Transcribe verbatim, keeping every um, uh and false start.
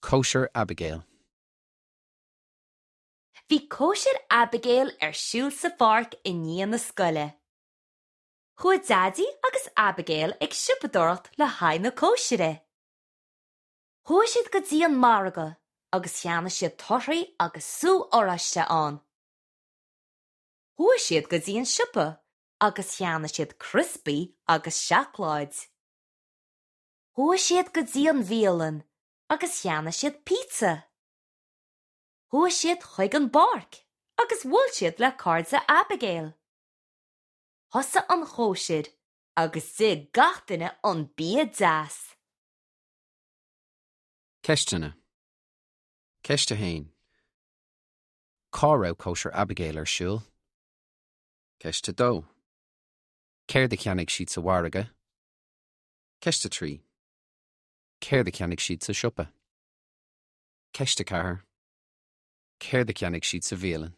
Cóisir Abigail. Bhí cóisir Abigail ar siúl sa pháirc i ndiaidh na scoile. Chuaigh Daidí agus Abigail ag siopadóireacht le haghaidh na cóisire. Chuaigh siad go dtí an margadh agus cheannaigh siad torthaí agus sú oráiste ann. Chuaigh siad go dtí an siopa agus cheannaigh siad criospaí agus seacláid. Chuaigh siad go dtí an bhialann agus cheannaigh siad pizza. Chuaigh siad chuig an bpáirc agus bhuail siad le cairde Abigail. Thosaigh an chóisir agus d'ith gach duine an bia deas. Ceisteanna. Ceist a haon. Cá raibh cóisir Abigail ar siúl? Ceist a dó. Céard a cheannaigh siad sa mhargadh? Ceist a trí. Céard a cheannaigh siad sa siopa? Ceist a ceathair. Céard a cheannaigh siad sa bhialann?